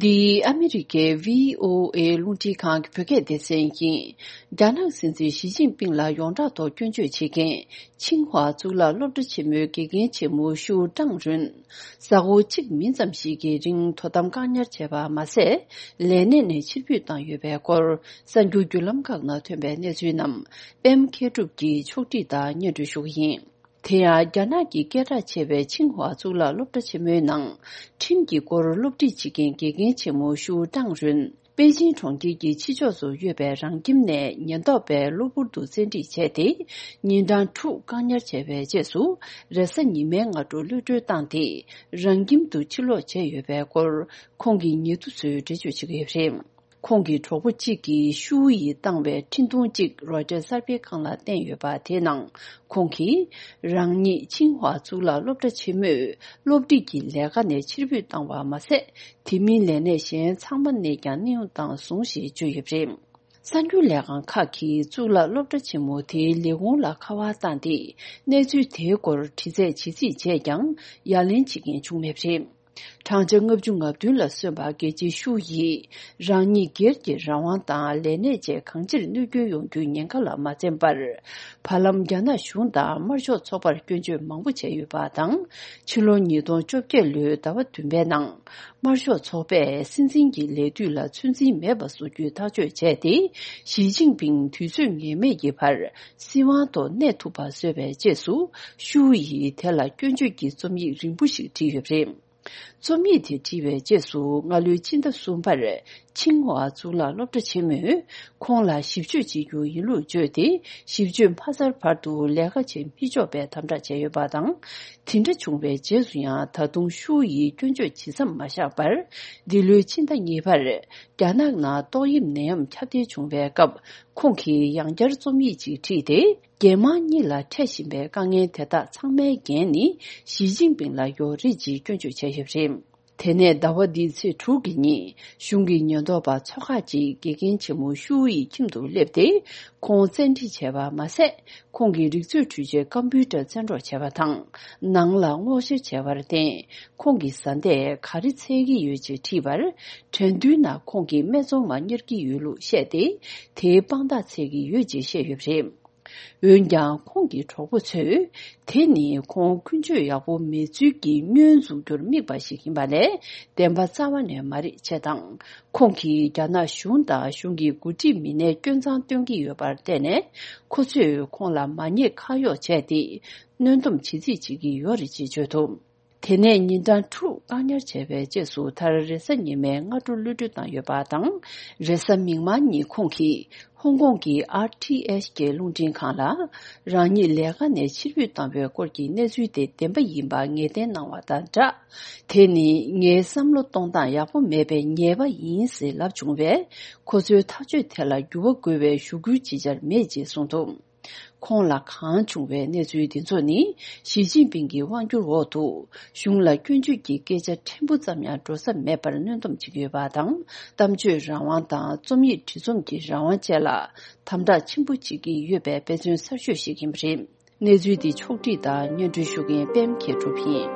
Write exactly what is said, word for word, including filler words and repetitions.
འདི་ཨ་མི་རི་ཀའི་བྷི་ཨོ་ཨེ་རླུང་འཕྲིན་ཁང་གི་བོད་སྐད་སྡེ་ཚན་ཡིན། རྒྱ་ནག་སྲིད་འཛིན་ཞི་ཅིན་ཕིང་ལ་ཡོངས་གྲགས་ཐོག་སྐྱོན་བརྗོད་བྱེད་མཁན་ཆིང་ཧྭ་གཙུག་ལག་སློབ་གྲྭ་ཆེན་མོའི་དགེ་རྒན་ཆེན་མོ་ཤུའུ་ཀྲང་རུན། གཟའ་འཁོར་གཅིག་མིན་ཙམ་ཞིག་གི་རིང་དོ་དམ་བཀག་ཉར་བྱས་པ་མ་ཟད། ལས་གནས་ནས་ཕྱིར་འབུད་བཏང་ཡོད་པའི་སྐོར་གསར་འགྱུར་བརྒྱུད་ལམ་ཁག་ནང་ཐོན་པའི་གནས་ཚུལ་རྣམས་པད་མ་མཁས་གྲུབ་ཀྱིས་ཕྱོགས་སྒྲིག་དང་སྙན་སྒྲོན་ཞུ་གི་ཡིན། དེ་ཡང་རྒྱ་ནག་གི་སྐད་གྲགས་ཆེ་བའི་ཆིང་ཧྭ་གཙུག་ལག་སློབ་གྲྭ་ཆེན་མོའི་ནང་ཁྲིམས་ཀྱི་སྐོར་སློབ་ཁྲིད་བྱེད་མཁན་དགེ་རྒན་ཆེན་མོ་ཤུའུ་ཀྲང་རུན་པེ་ཅིང་གྲོང་ཁྱེར་གྱི་ཕྱི་ཕྱོགས་སུ་ཡོད་པའི་རང་ཁྱིམ་ནས་ཉེན་རྟོག་པས་གློ་བུར་དུ་བཙན་ཁྲིད་བྱས་ཏེ། ཉིན་གྲངས་དྲུག་བཀག་ཉར་བྱས་པའི་རྗེས་སུ། རེས་གཟའ་ཉི་མའི་སྔ་དྲོ་གློད་གྲོལ་བཏང་སྟེ། རང་ཁྱིམ་དུ་ཕྱིར་ལོག་བྱས་ཡོད་པའི་སྐོར་ཁོང་གི་ཉེ་དུ་ཚོས་འགྲེལ་བརྗོད་བྱེད་ཀྱི་ཡོད་པ་རེད། ཁོང་གི་གྲོགས་པོ་གཅིག་གིས་ཤུའུ་ཡིས་བཏང་བའི་འཕྲིན་ཐུང་གཅིག་རོའི་ཊར་གསར་སྤེལ་ཁང་ལ་བསྟན་ཡོད་པ་དེའི་ནང་། ཁོང་གིས་རང་ཉིད་ཆིང་ཧྭ་གཙུག་ལག་སློབ་གྲྭ་ཆེན་མོའི་སློབ་ཁྲིད་ཀྱི་ལས་ཀ་ནས་ཕྱིར་འབུད་བཏང་བ་མ་ཟད། དེ་མིན་ལས་གནས་གཞན་ཚང་མ་ནས་ཀྱང་གནས་དབྱུང་བཏང་སོང་ཞེས་བརྗོད་ཡོད་པ་རེད། གསར་འགྱུར་ལས་ཁང་ཁག་གིས་གཙུག་ལག་སློབ་གྲྭ་ཆེན་མོ་དེའི་ལས་ཁུངས་ལ་ཁ་པར་བཏང་སྟེ། གནས་ཚུལ་དེའི་སྐོར་དྲི་རྩད་བྱེད་རྩིས་བྱས་ཀྱང་ཡ་ལན་བྱེད་མཁན་བྱུང་མེད་པ་རེད། བགྲང་བྱ་ལྔ་བཅུ་ང་བདུན་ལ་སོན་པ་རྒྱལ་གཅེས་ཤུའུ་ཡིས་རང་ཉིད་སྒེར་གྱི་རང་དབང་དང་ལས་གནས་བཅས་གང་ཅིར་གནོད་སྐྱོན་ཡོང་རྒྱུའི་ཉེན་ཁ་ལ་མ་འཛེམས་པར། བར་ལམ་རྒྱ་ནག་གཞུང་དང་དམར་ཤོག་ཚོགས་པར་སྐྱོན་བརྗོད་མང་པོ་བྱས་ཡོད་པ་དང་། ཕྱི་ལོ་ཉིས་སྟོང་བཅོ་བརྒྱད་ལོའི་ཟླ་བ་བདུན་པའི་ནང་། དམར་ཤོག་ཚོགས་པས་སྲིད་འཛིན་གྱི་ལས་དུས་ལ་ཚོད་འཛིན་མེད་པ་བཟོ་རྒྱུའི་ཐག་གཅོད་བྱས་ཏེ། ཞི་ཅིན་ཕིང་དུས་ཚོད་ངེས་མེད་ཀྱི་བར་སྲིད་དབང་ཐོག་གནས་ཐུབ་པ་བཟོས་པའི་རྗེས་སུ། ཤུའུ་ཡིས་དེ་ལ་སྐྱོན་བརྗོད་ཀྱི་རྩོམ་ཡིག་རིང་པོ་ཞིག་བྲིས་ཡོད་པ་རེད། རྩོམ་ཡིག་དེ་བྲིས་པའི་རྗེས་སུ། སྔ་ལོའི་ཕྱི་ཟླ་གསུམ་པར་ཆིང་ཧྭ་གཙུག་ལག་སློབ་གྲྭ་ཆེན་མོས་ཁོང་ལ་ཞིབ་དཔྱོད་བྱེད་རྒྱུ་ཡིན་ལུགས་བརྗོད་དེ། ཞིབ་དཔྱོད་མ་ཚར་བར་དུ་ལས་ཀ་བྱེད་མི་ཆོག་པའི་དམ་དྲག་བྱས་ཡོད་པ་དང་། དེ་འདྲ་བྱུང་བའི་རྗེས་སུ་ཡང་། ད་དུང་ཤུའུ་ཡིས་སྐྱོན་བརྗོད་ཇི་ཙམ་མ་བཞག་པར། འདི་ལོའི་ཕྱི་ཟླ་གཉིས་པར་རྒྱ་ནག་ནང་ཏོག་དབྱིབས་ནད་ཡམས་ཁྱབ་གདལ་བྱུང་བའི་སྐབས། ཁོང་གིས་ཡང་བསྐྱར་རྩོམ་ཡིག་ཅིག་བྲིས་ཏེ། རྒྱལ་དམངས་གཉིས་ལ་འཕྲད་བཞིན་པའི་དཀའ་ངལ་དེ་དག་ཚང་མའི་འགན་ནི་ཞི་ཅིན་ཕིང་ལ་ཡོད་རེད་ཅེས་སྐྱོན་བརྗོད་བྱས་ཡོད་པ་རེད། དེ་ནས་ཟླ་བ་འདིའི་ཚེས་དྲུག་གི་ཉིན། གཞུང་གི་ཉེན་རྟོག་པ་ཚོ་ཁག་ཅིག་དགེ་རྒན་ཆེན་མོ་ཤུའུ་ཡི་ཁྱིམ་དུ་སླེབས་ཏེ། ཁོང་བཙན་ཁྲིད་བྱས་པ་མ་ཟད། ཁོང་གི་རིག་མཛོད་འཕྲུལ་ཆས་ཀམ་པུའུ་ཊར་བཙན་འཕྲོག་བྱས་པ་དང་། ནང་ལ་སྔོག་བཤེར་བྱས་པར་བརྟེན། ཁོང་གི་བཟའ་ཟླས་ག་རེ་འཚོལ་གྱི་ཡོད་ཅེས་དྲིས་པར། དྲན་དུས་ན་ཁོང་གིས་སྨད་འཚོང་མ་གཉེར་གྱི་ཡོད་ལུགས་བཤད་དེ། དེའི་དཔང་རྟགས་འཚོལ་གྱི་ཡོད་ཅེས་བཤད་ཡོད་པ་རེད། འོན་ཀྱང་། ཁོང་གི་གྲོགས་པོ་ཚོས། དེ་ནི་ཁོང་ཀུན་སྤྱོད་ཡག་པོ་མེད་ཚུལ་གྱི་བརྙན་འཛུགས་རྒྱུར་དམིགས་པ་ཞིག་ཡིན་པ་ལས། བདེན་པ་རྩ་བ་ནས་མ་རེད་ཅེས་དང་། ཁོང་གིས་རྒྱ་ནག་གཞུང་དང་གཞུང་གི་འགོ་ཁྲིད་མི་སྣའི་སྐྱོན་མཚང་སྟོན་གྱི་ཡོད་པར་བརྟེན་ནས། ཁོ་ཚོས་ཁོང་ལ་མ་ཉེས་ཁ་གཡོགས་བྱས་ཏེ། གནོན་སྡོམ་བྱེད་རྩིས་བྱེད་ཀྱི་ཡོད་རེད་ཅེས་བརྗོད་འདུག་དེ་ནས་ཉིན་གྲངས་དྲུག་བཀག་ཉར་བྱས་པའི་རྗེས་སུ། མཐར་རེས་གཟའ་ཉི་མའི་སྔ་དྲོ་གློད་གྲོལ་བཏང་ཡོད་པ་དང་། རེས་གཟའ་མིག་དམར་ཉིན་ཁོང་གིས་ཧོང་ཀོང་གི་ཨར་ཊི་ཨེཆ་ཀྱི་རླུང་འཕྲིན་ཁང་ལ། རང་ཉིད་ལས་ཀ་ནས་ཕྱིར་འབུད་བཏང་བའི་སྐོར་གྱི་གནས་ཚུལ་དེ་བདེན་པ་ཡིན་པ་ངེས་གཏན་གནང་བ་དང་སྦྲགས། དེ་ནི་ངའི་བསམ་བློ་གཏོང་སྟངས་ཡག་པོ་མེད་པའི་ཉེས་པ་ཡིན་ཞེས་ལབ་བྱུང་བས། ཁོ་ཚོའི་ཐག་གཅོད་དེ་ལ་འགྱུར་བ་དགོས་པའི་ཞུ་སྐུལ་ཅི་བྱར་མེད་ཅེས་གསུངས་འདུག་ཁོང་ལ་གང་བྱུང་བའི་གནས་ཚུལ་འདི་ཚོ་ནི། ཞི་ཅིན་ཕིང་གི་དབང་སྒྱུར་འོག་ཏུ། གཞུང་ལ་སྐྱོན་བརྗོད་ཀྱི་སྐད་ཆ་ཕྲན་བུ་ཙམ་ཡང་འགྲོ་ས་མེད་པར་གནོན་སྡོམ་བྱེད་ཀྱི་ཡོད་པ་དང་། གཏམ་བརྗོད་རང་དབང་དང་། རྩོམ་ཡིག་བྲིས་རྩོམ་གྱི་རང་དབང་བཅས་ལ་དམ་དྲག་ཆེན་པོ་བྱེད་ཀྱི་ཡོད་པའི་དཔེ་མཚོན་གསར་ཤོས་ཤིག་ཡིན་པ་རེད། གནས་ཚུལ་འདི་ཕྱོགས་བསྒྲིགས་དང་སྙན་སྒྲོན་ཞུ་མཁན་པད་མ་མཁས་གྲུབ་ཡིན།